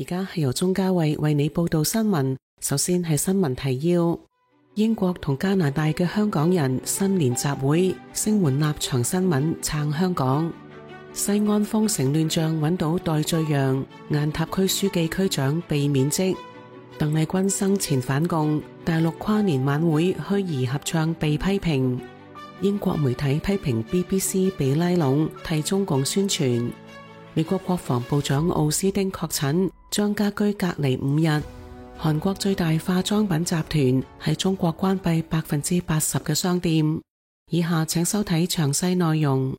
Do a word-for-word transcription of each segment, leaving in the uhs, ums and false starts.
家係由鐘嘉慧為你報道新聞。首先係新聞提要：英國同加拿大嘅香港人新年集會，聲援立場新聞撐香港。西安封城亂象揾到代罪羊，雁塔區書記區長被免職。鄧麗君生前反共，大陸跨年晚會虛擬合唱被批評。英國媒體批評 B B C 被拉攏替中共宣傳。美國國防部長奧斯汀確診，將家居隔離五日。韓國最大化妝品集團喺中國關閉百分之八十嘅商店。以下請收睇詳細內容。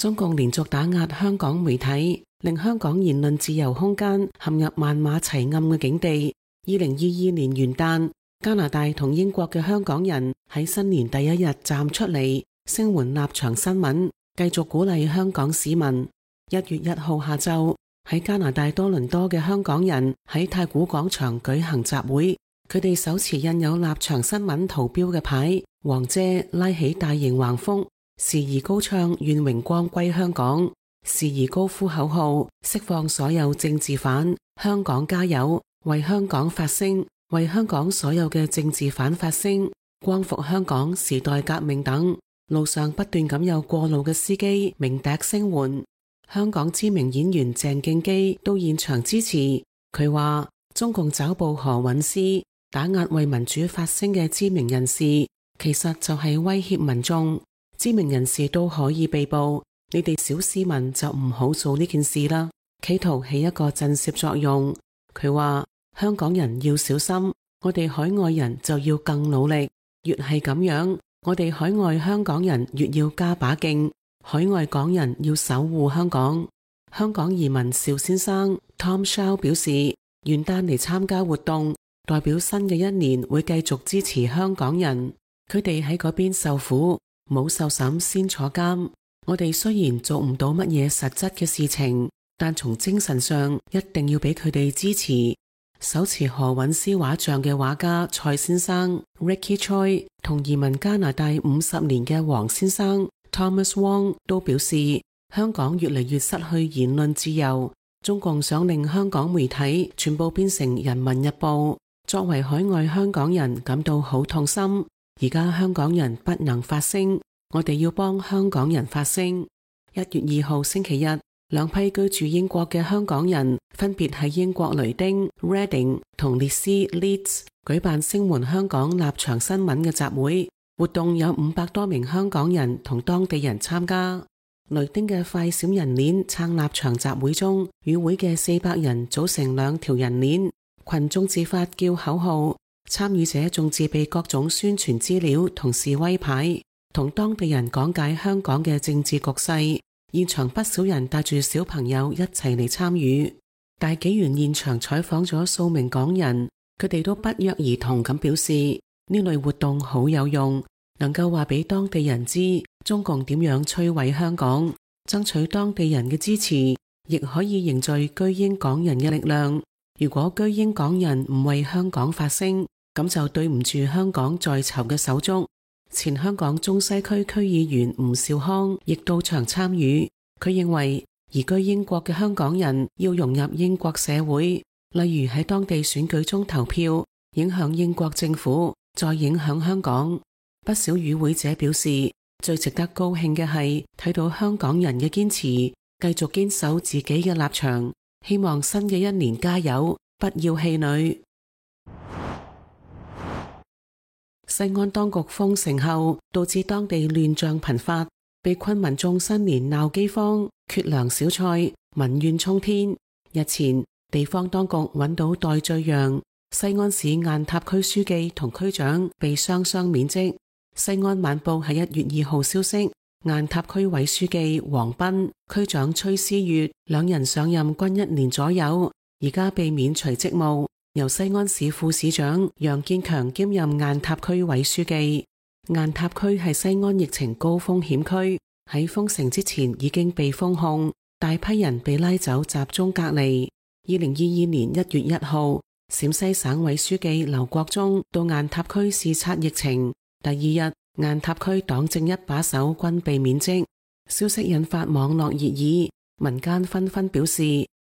中共連續打壓香港媒體，令香港言論自由空間陷入萬馬齊喑嘅境地。二零二二年元旦，加拿大同英國嘅香港人喺新年第一日站出嚟，聲援立場新聞，繼續鼓勵香港市民。一月一號下晝，喺加拿大多倫多嘅香港人喺太古廣場舉行集會，佢哋手持印有立場新聞圖標嘅牌，黃遮拉起大型橫幅，時而高唱願榮光歸香港，時而高呼口號釋放所有政治犯，香港加油，為香港發聲，為香港所有嘅政治犯發聲，光復香港時代革命等。路上不斷咁有過路嘅司機鳴笛聲援。香港知名演員鄭敬基到現場支持，佢話中共抓捕何韻詩，打壓為民主發聲嘅知名人士，其實就係威脅民眾。知名人士都可以被捕，你哋小市民就唔好做呢件事啦，企圖起一個震懾作用。佢話香港人要小心，我哋海外人就要更努力，越係咁樣，我哋海外香港人越要加把勁。海外港人要守護香港。香港移民邵先生 Tom Shaw 表示，元旦嚟參加活動，代表新嘅一年會繼續支持香港人。佢哋喺嗰邊受苦，冇受審先坐監。我哋雖然做唔到乜嘢實質嘅事情，但從精神上一定要俾佢哋支持。手持何韻詩畫像嘅畫家蔡先生 Ricky Choi 同移民加拿大五十年嘅黃先生Thomas Wong 都表示，香港越嚟越失去言論自由，中共想令香港媒體全部變成人民日報。作為海外香港人感到好痛心，而家香港人不能發聲，我哋要幫香港人發聲。一月二號星期日，兩批居住英國嘅香港人分別喺英國雷丁 Reading 同列斯 Leeds 舉辦聲援香港立場新聞嘅集會。活動有五百多名香港人同當地人參加。雷丁嘅快閃人鏈撐立場集會中，與會嘅四百人組成兩條人鏈，群眾自發叫口號，參與者仲自備各種宣傳資料同示威牌，同當地人講解香港嘅政治局勢。現場不少人帶住小朋友一齊嚟參與。大紀元現場採訪咗數名港人，佢哋都不約而同咁表示，呢類活動好有用，能夠話俾當地人知中共點樣摧毀香港，爭取當地人嘅支持，亦可以凝聚居英港人嘅力量。如果居英港人唔為香港發聲，咁就對唔住香港在囚嘅手足。前香港中西區區議員吳兆康亦到場參與，佢認為移居英國嘅香港人要融入英國社會，例如喺當地選舉中投票，影響英國政府，再影響香港。不少與會者表示，最值得高興嘅係睇到香港人嘅堅持，繼續堅守自己嘅立場，希望新嘅一年加油，不要氣餒。西安當局封城後，導致當地亂象頻發，被困民眾新年鬧饑荒、缺糧少菜，民怨沖天。日前，地方當局揾到代罪羊，西安市雁塔區書記同區長被雙雙免職。西安晚報喺一月二號消息，雁塔區委書記黃斌、區長崔思月兩人上任均一年左右，而家被免除職務，由西安市副市長楊建強兼任雁塔區委書記。雁塔區係西安疫情高風險區，喺封城之前已經被封控，大批人被拉走集中隔離。二零二二年一月一號，陝西省委書記劉國中到雁塔區視察疫情，第二日雁塔區黨政一把手均被免職，消息引發網絡熱議，民間紛紛表示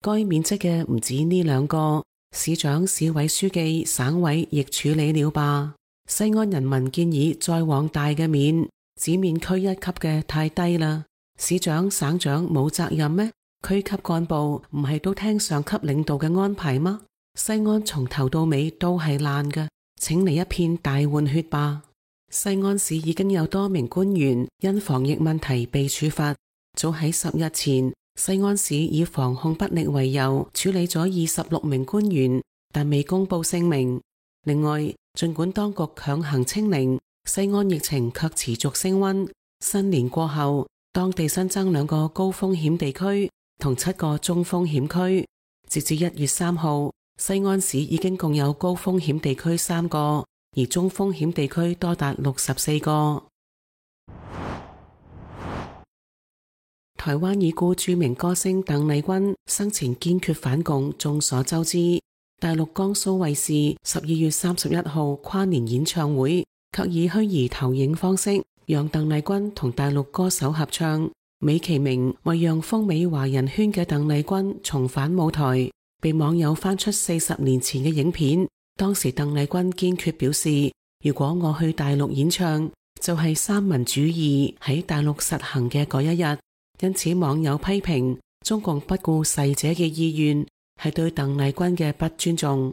該免職嘅唔止呢兩個，市長、市委書記、省委亦處理了吧。西安人民建議再往大嘅免，只免區一級嘅太低啦。市長、省長冇責任咩？區級幹部唔係都聽上級領導嘅安排嗎？西安從頭到尾都係爛嘅，請嚟一片大換血吧。西安市已經有多名官員因防疫問題被處罰。早喺十日前，西安市以防控不力為由處理咗二十六名官員，但未公布姓名。另外，儘管當局強行清零，西安疫情卻持續升溫。新年過後，當地新增兩個高風險地區同七個中風險區。截至一月三號，西安市已經共有高風險地區三個，而中風險地區多達六十四個。台灣已故著名歌星鄧麗君生前堅決反共，眾所周知。大陸江蘇衛視十二月三十一號跨年演唱會，卻以虛擬投影方式讓鄧麗君同大陸歌手合唱，美其名為讓風靡華人圈嘅鄧麗君重返舞台。被網友翻出四十年前嘅影片，當時鄧麗君堅決表示，如果我去大陸演唱，就係三民主義喺大陸實行嘅嗰一日。因此網友批評中共不顧逝者嘅意願，係對鄧麗君嘅不尊重。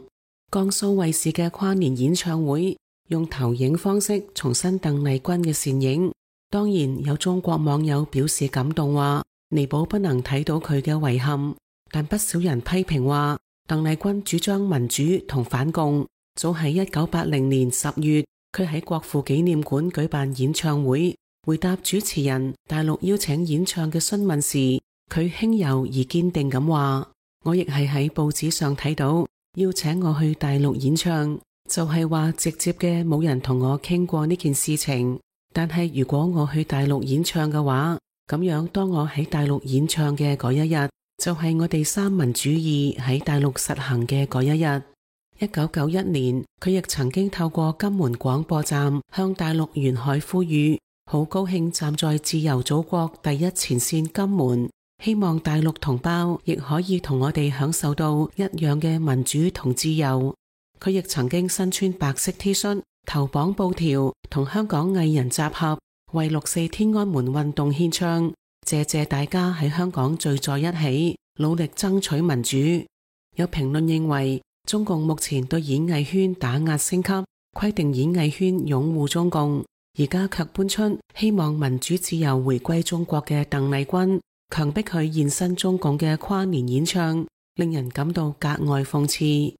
江蘇衛視嘅跨年演唱會用投影方式重申鄧麗君嘅倩影，當然有中國網友表示感動，話彌補不能睇到佢嘅遺憾。但不少人批評話，鄧麗君主張民主同反共。早喺一九八零年十月，佢喺國父紀念館舉辦演唱會，回答主持人大陸邀請演唱嘅詢問時，佢輕柔而堅定咁話：我亦係喺報紙上睇到邀請我去大陸演唱，就係話直接嘅冇人同我傾過呢件事情。但係如果我去大陸演唱嘅話，咁樣當我喺大陸演唱嘅嗰一日，就係我哋三民主義喺大陸實行嘅嗰一日。一九九一年，佢亦曾經透過金門廣播站向大陸沿海呼籲，好高興站在自由祖國第一前線金門，希望大陸同胞亦可以同我哋享受到一樣嘅民主同自由。佢亦曾經身穿白色 T 恤，頭綁布條，同香港藝人集合，為六四天安門運動獻唱。謝謝大家喺香港聚在一起，努力爭取民主。有評論認為，中共目前對演藝圈打壓升級，規定演藝圈擁護中共，而家卻搬出希望民主自由回歸中國嘅鄧麗君，強迫佢現身中共嘅跨年演唱，令人感到格外諷刺。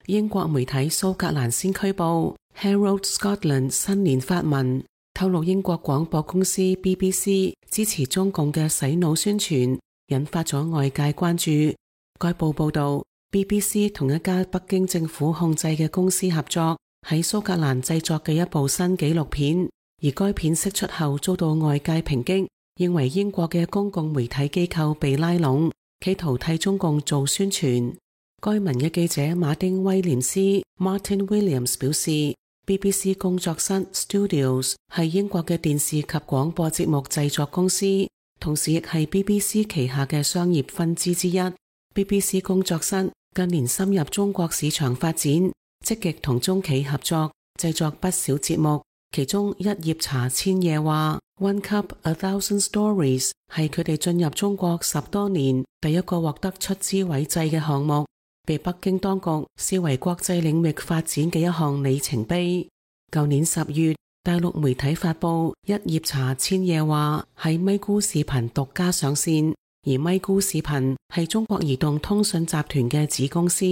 英國媒體蘇格蘭先驅報 Herald Scotland 新年發文，透露英國廣播公司 B B C 支持中共嘅洗腦宣傳，引發咗外界關注。該報報道 B B C 同一家北京政府控制嘅公司合作，喺蘇格蘭製作嘅一部新紀錄片，而該片釋出後遭到外界抨擊，認為英國嘅公共媒體機構被拉攏，企圖替中共做宣傳。該文嘅記者馬丁威廉斯 Martin Williams 表示，B B C 工作室 Studios 係英國嘅電視及廣播節目製作公司，同時亦係 B B C 旗下嘅商業分支之一。B B C 工作室近年深入中國市場發展，積極同中企合作，製作不少節目，其中一葉茶千夜話 One Cup A Thousand Stories 係佢哋進入中國十多年第一個獲得出資委製嘅項目，被北京當局視為國際領域發展嘅一項里程碑。舊年十月，大陸媒體發布一葉茶千夜話喺咪咕視頻獨家上線，而咪咕視頻係中國移動通訊集團嘅子公司。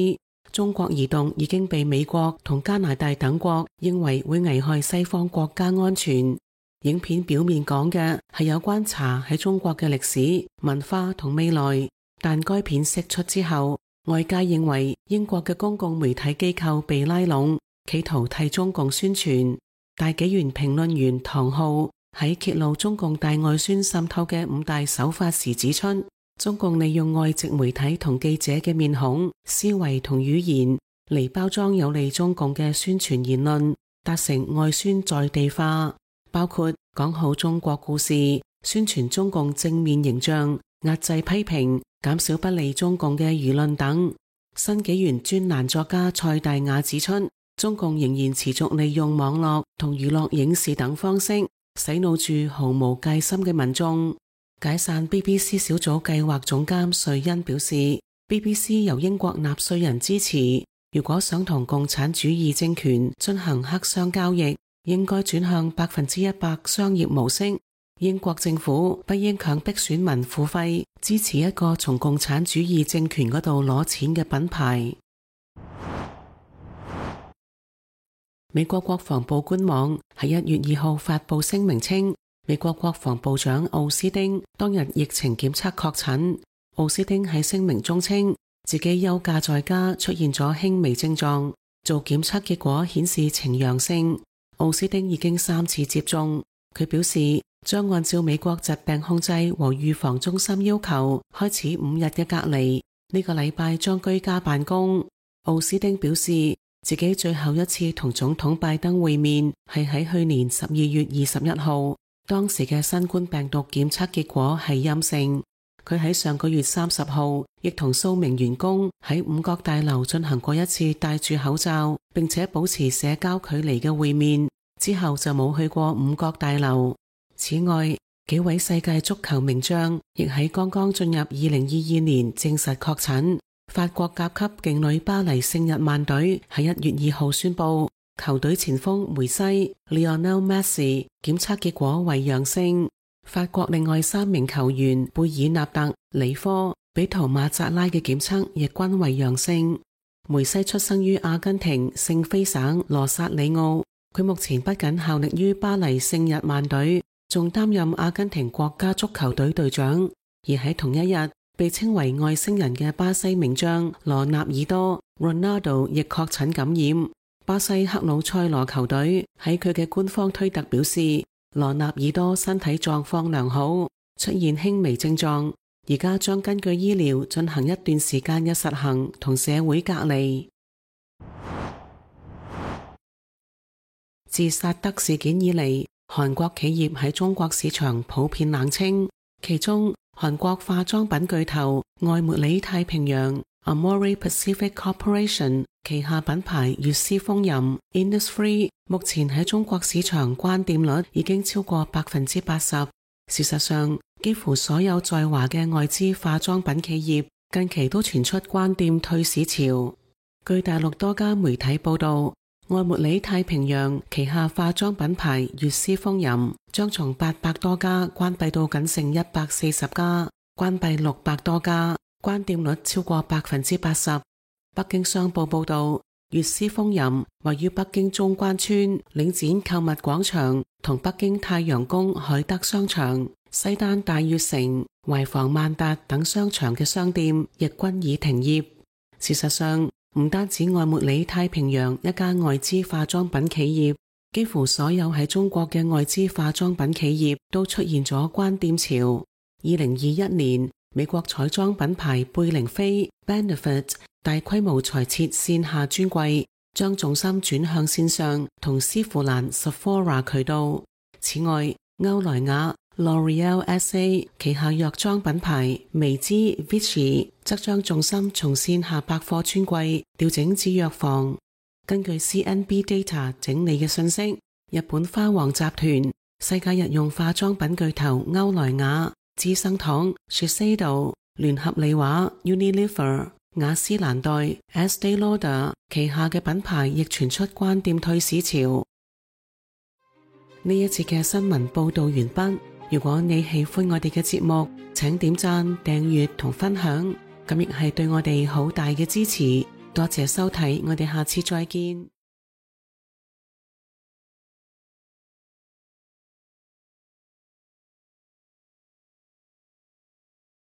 中國移動已經被美國同加拿大等國認為會危害西方國家安全。影片表面講嘅係有關茶喺中國嘅歷史、文化同未來，但該片釋出之後，外界認為英國嘅公共媒體機構被拉攏，企圖替中共宣傳。大紀元評論員唐浩喺揭露中共大外宣滲透嘅五大手法時指出，中共利用外籍媒體同記者嘅面孔、思維同語言嚟包裝有利中共嘅宣傳言論，達成外宣在地化，包括講好中國故事、宣傳中共正面形象、壓制批評、減少不利中共嘅輿論等。新紀元專欄作家蔡大雅指出，中共仍然持續利用網絡同娛樂影視等方式洗腦住毫無戒心嘅民眾。解散 B B C 小組計劃總監瑞恩表示， B B C 由英國納稅人支持，如果想同共產主義政權進行黑箱交易，應該轉向百分之一百商業模式。英國政府不應強迫選民付費支持一個從共產主義政權嗰度攞錢嘅品牌。美國國防部官網喺一月二號發佈聲明稱，美國國防部長奧斯汀當日疫情檢測確診。奧斯汀喺聲明中稱，自己休假在家，出現咗輕微症狀，做檢測結果顯示呈陽性。奧斯汀已經三次接種，佢表示將按照美國疾病控制和預防中心要求，開始五日嘅隔離，呢個禮拜將居家辦公。奧斯汀表示，自己最後一次同總統拜登會面係喺去年十二月二十一號，當時嘅新冠病毒檢測結果係陰性。佢喺上個月三十號亦同數名員工喺五角大樓進行過一次戴住口罩並且保持社交距離嘅會面，之後就冇去過五角大樓。此外，幾位世界足球名將亦喺剛剛進入二零二二年證實確診。法國甲級勁旅巴黎聖日曼隊喺一月二號宣布，球隊前鋒梅西 Lionel Messi 檢測結果為陽性。法國另外三名球員貝爾納特、里科、比圖馬扎拉嘅檢測亦均為陽性。梅西出生於阿根廷聖菲省羅薩里奧，佢目前不僅效力於巴黎聖日曼隊，仲擔任阿根廷國家足球隊隊長。而喺同一日，被稱為外星人嘅巴西名將羅納爾多 Ronaldo 亦確診感染。巴西克魯塞羅球隊喺佢嘅官方推特表示，羅納爾多身體狀況良好，出現輕微症狀，而家將根據醫療進行一段時間嘅實行同社會隔離。自薩德事件以嚟，韓國企業喺中國市場普遍冷清，其中韓國化妝品巨頭愛茉莉太平洋 Amore Pacific Corporation 旗下品牌悅詩風吟 Innisfree 目前喺中國市場關店率已經超過百分之八十。事實上，幾乎所有在華嘅外資化妝品企業近期都傳出關店退市潮。據大陸多家媒體報道，愛茉莉太平洋旗下化妝品牌悅詩風吟將從八百多家關閉到僅剩一百四十家，關閉六百多家，關店率超過百分之八十。北京商報報道，悅詩風吟位於北京中關村領展購物廣場同北京太陽宮海德商場、西單大悅城、懷房萬達等商場嘅商店亦均已停業。事實上，唔單止愛茉莉太平洋一家外資化妝品企業，幾乎所有喺中國嘅外資化妝品企業都出現咗關店潮。二零二一年，美國彩妝品牌貝玲妃 Benefit 大規模裁撤線下專櫃，將重心轉向線上同絲芙蘭 Sephora 渠道。此外，歐萊雅 L'Oreal S A 旗下藥妝品牌薇姿 Vichy 則將重心從線下百貨專櫃調整至藥房。根據 C N B Data 整理嘅信息，日本花王集團、世界日用化妝品巨頭歐萊雅、資生堂 Shiseido、聯合利華 Unilever、雅詩蘭黛 Estée Lauder 旗下嘅品牌亦傳出關店退市潮。呢一節嘅新聞報道完畢。如果你喜歡我哋嘅節目，請點讚、訂閱同分享，咁亦係對我哋好大嘅支持。多謝收睇，我哋下次再見。